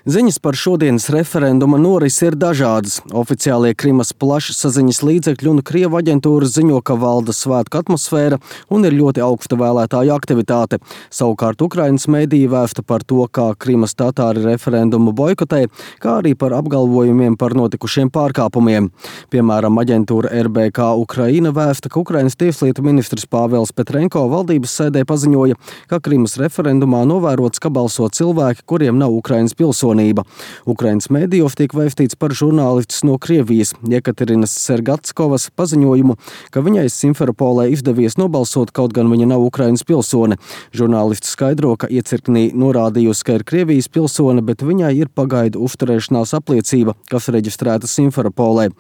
Ziņas par šodienas referenduma norisi ir dažādas. Oficiālie Krimas plašsaziņas līdzekļi un Krievu aģentūras ziņo, ka valda svētku atmosfēra un ir ļoti augsta vēlētāju aktivitāte. Savukārt Ukrainas mediji vēsta par to, kā Krimas tatāri referendumu boikotē, kā arī par apgalvojumiem par notikušiem pārkāpumiem. Piemēram, aģentūra RBK Ukraina vēsta, ka Ukrainas tieslietu ministrs Pāvels Petrenko valdības sēdē paziņoja, ka Krimas referendumā novērots, ka balso cilvēki, kuriem nav Ukrainas pilsonība. Ukrainas mēdījos tiek vēstīts par žurnālistes no Krievijas Jekaterinas Sergatskovas paziņojumu, ka viņai Simferopolē izdevies nobalsot, kaut gan viņa nav Ukrainas pilsone. Žurnālists skaidro, ka iecirknī norādījusi, ka ir Krievijas pilsone, bet viņai ir pagaidu uzturēšanās apliecība, kas reģistrēta Simferopolē.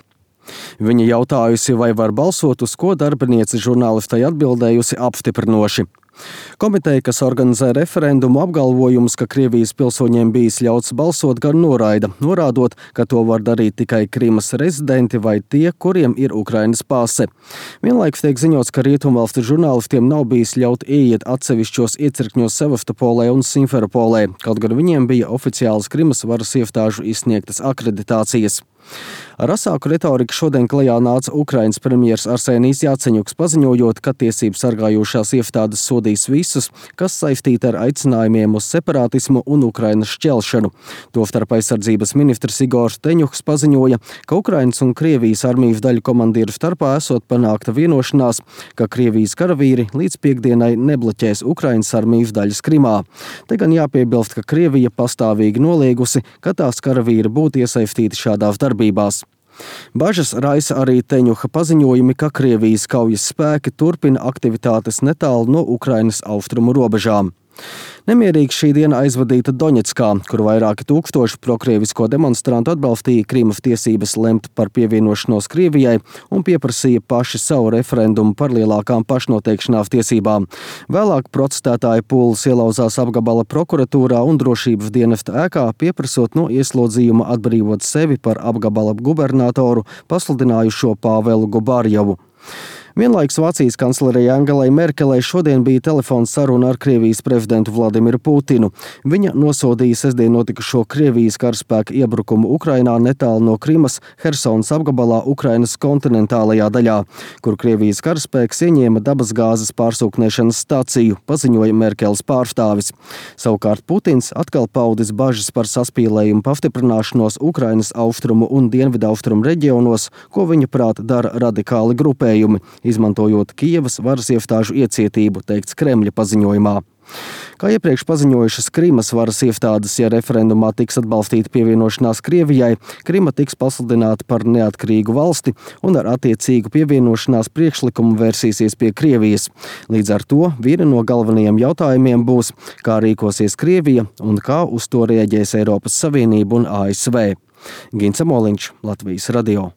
Viņa jautājusi, vai var balsot, uz ko darbiniece žurnālistai atbildējusi apstiprinoši. Komiteja, kas organizē referendumu, apgalvojumus, ka Krievijas pilsoņiem bijis ļauts balsot, gan noraida, norādot, ka to var darīt tikai Krimas rezidenti vai tie, kuriem ir Ukrainas pase. Vienlaikus tiek ziņots, ka rietumvalstu žurnālistiem nav bijis ļaut ieiet atsevišķos iecirkņos Sevastopolē un Simferopolē, kaut gan viņiem bija oficiālas Krimas varas iestāžu izsniegtas akreditācijas. Ar asāku retoriku šodien klajā nāca Ukrainas premjers Arsenijs Jaceņuks, paziņojot, ka tiesību sargājošās iestādes sodīs visus, kas saistīti ar aicinājumiem uz separātismu un Ukrainas šķelšanu. Tostarp aizsardzības ministrs Igors Teņuhs paziņoja, ka Ukrainas un Krievijas armijas daļu komandieru starpā esot panākta vienošanās, ka Krievijas karavīri līdz piektdienai nebloķēs Ukrainas armijas daļas Krimā. Te gan jāpiebilst, ka Krievija pastāvīgi noliegusi, ka tās karavīri būtu iesaistīti šādās darbībās. Bažas raisa arī Teņuha paziņojumi, ka Krievijas kaujas spēki turpina aktivitātes netālu no Ukrainas austrumu robežām. Nemierīgi šī diena aizvadīta Doņetskā, kur vairāki tūkstoši prokrievisko demonstrantu atbalstīja Krimas tiesības lemt par pievienošanos Krievijai un pieprasīja paši savu referendumu par lielākām pašnoteikšanās tiesībām. Vēlāk protestētāji pūles ielauzās apgabala prokuratūrā un drošības dienesta ēkā, pieprasot no ieslodzījuma atbrīvot sevi par apgabala gubernatoru pasludinājušo Pāvelu Gubarjevu. Vienlaikus Vācijas kanclerei Angelai Merkelei šodien bija telefona saruna ar Krievijas prezidentu Vladimiru Putinu. Viņa nosodīja sestdien notikušo Krievijas karaspēka iebrukumu Ukrainā netālu no Krimas, Hersonas apgabalā Ukrainas kontinentālajā daļā, kur Krievijas karaspēks ieņēma dabasgāzes pārsūknēšanas staciju, paziņoja Merkeles pārstāvis. Savukārt Putins atkal paudis bažas par saspīlējumu pastiprināšanos Ukrainas austrumu un dienvidaustrumu reģionos, ko viņa prāt dara radikāli grupējumi, izmantojot Kijevas varas iestāžu iecietību, teikts Kremļa paziņojumā. Kā iepriekš paziņojušas Krimas varas iestādes, ja referendumā tiks atbalstīta pievienošanās Krievijai, Krima tiks pasludināta par neatkarīgu valsti un ar attiecīgu pievienošanās priekšlikumu vērsīsies pie Krievijas. Līdz ar to viena no galvenajiem jautājumiem būs, kā rīkosies Krievija un kā uz to reaģēs Eiropas Savienība un ASV. Gints Amoliņš, Latvijas radio.